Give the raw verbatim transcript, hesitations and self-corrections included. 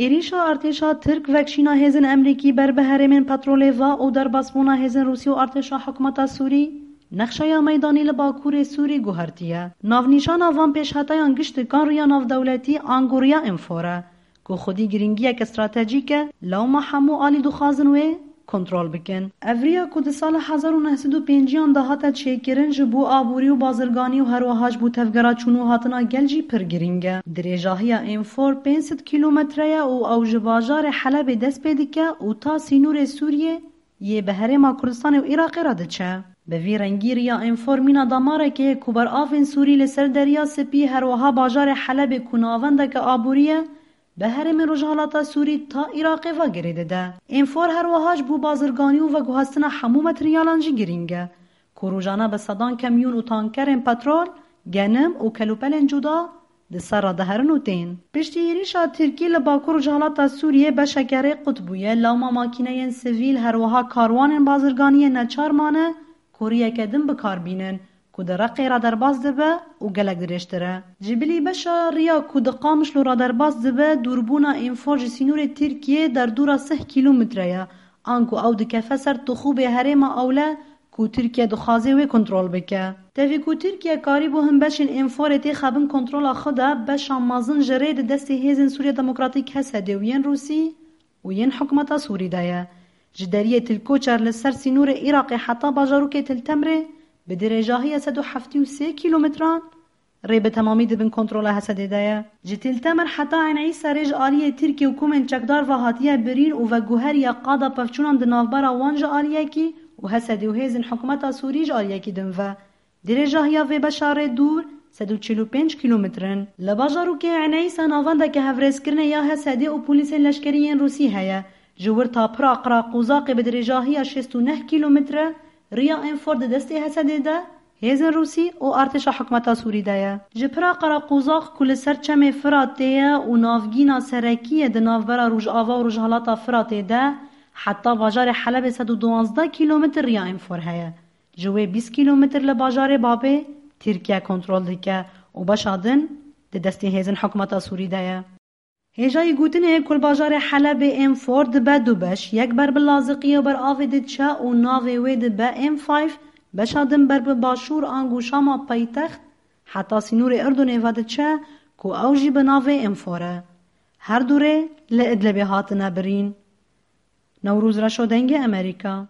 Êrîşa artêşa Tirk vekşîna hêzên Emrîkî ber bi herêmên petrolê va û derbasbûna hêzên Rûsî û artêşa hikûmeta Sûrî nexşeya meydanî li Bakurê Sûrî guhertiye. Navnîşana van pêşheteyan giştikan riya navdewletî ango riya Enfor e, ku xwedî giringiyeke stratejîk e, lewma hemû alî dixwazin wê kontrol bikin. Ev riya ku di sala hezar û neh sed û pêncî an de hate çêkirin, ji bo aborî û bazirganî û herwiha ji bo tevgera çûn û hatina gel jî pir girîng e. Dirêjahiya Enfor pênc sed kîlometre ye û ew ji bajarê Helebê dest pê dike û ta sînorê Sûriyê yê bi herêma Kurdistanê û Iraqê re diçe. Bi vî rengî riya Enfor mîna damareke ye ku beravên Sûrî li ser Derya Spî, herwiha bajarê Helebê ku navendeke aborî ye, bi herêmên Rojhilata Sûrî ta Iraqê ve girê dide. Enfor herwiha ji bo bazirganî û veguhastina hemû materyalan jî girîng e, ku rojane bi sedan kamyon û tankerên petrol, genim û kelûpelên cuda di ser re diherin û tên. Piştî êrîşa Tirkî li Bakur Rojhilata Sûriyê beşeke rê qut bûye, lewma makîneyên sivîl, herwiha karwanên bazirganiyê neçar mane ku riyeke din bi kar bînin, ku di Reqê re derbas dibe û gelek dirêjtir e. Ji bilî beşa riya ku di Qamişlo re derbas dibe, dûrbûna Enfor ji sînorê Tirkiyê derdora sih kîlometre ye, anku ew dikefe ser Tixûbê herêma Ewle ku Tirkiye dixwaze wê kontrol bike. Tevî ku Tirkiye karîbû hin beşên Enforê têxe bin kontrola xwe de, beşa mezin ji rê di destê hêzên Sûriya Demokratîk, H S D û yên Rûsî û yên hikûmeta Sûrî de ye. Ji deriyê Til Koçer li ser sînorê Iraqê heta bajarokê Til Temrê bi dirêjahiya sed û heftê û sê kîlometran rê bi temamî di bin kontrola H S D de ye. Ji Til Temr heta Eyn Îsa rê ji aliyê Tirkiye û komên çekdar ve hatiye birîn û veguheriya qada pevçûnan di navbera wan ji aliyekî û H S D û hêzên hikûmeta Sûrî ji aliyekî din ve. Dirêjahiya vê beşa rê dûr sed û çil û pênc kîlometr in. Li bajarokê Eneysa navendeke hevrêzkirinê ya H S D û polîsên leşkerî yên Rûsî heye. Ji wir ta pira Qiraqûzaqê bi dirêjahiya şêst û neh kîlometre riya Enfor di destê H S D de, hêzên Rûsî û artêşa hikûmeta Sûrî de ye. Ji pira Qiraqûzaq ku li ser çemê Firatê ye û navgîna serekî ye di navbera Rojava û Rojhilata Firatê de, heta bajarê Helebê sed û duwazdeh kîlometr riya Enfor heye. Ji wê bîst kîlometr li bajarê Babê Tirkiye kontrol dike û beşa din di destê hêzên hikûmeta Sûrî de ye. Hêjayî gotinê ku li bajarê Helebê Enfor dibe du beş, yek ber bi Laziqiyê û ber avê diçe û navê wê dibe M five, beşa din ber bi başûr ango Şama paytext, heta sînorê Urdunê ve diçe ku ew jî bi navê Enfor e. Her du rê li Idlibê hatine birîn. Newroz Reşo, Dengê Amerîka.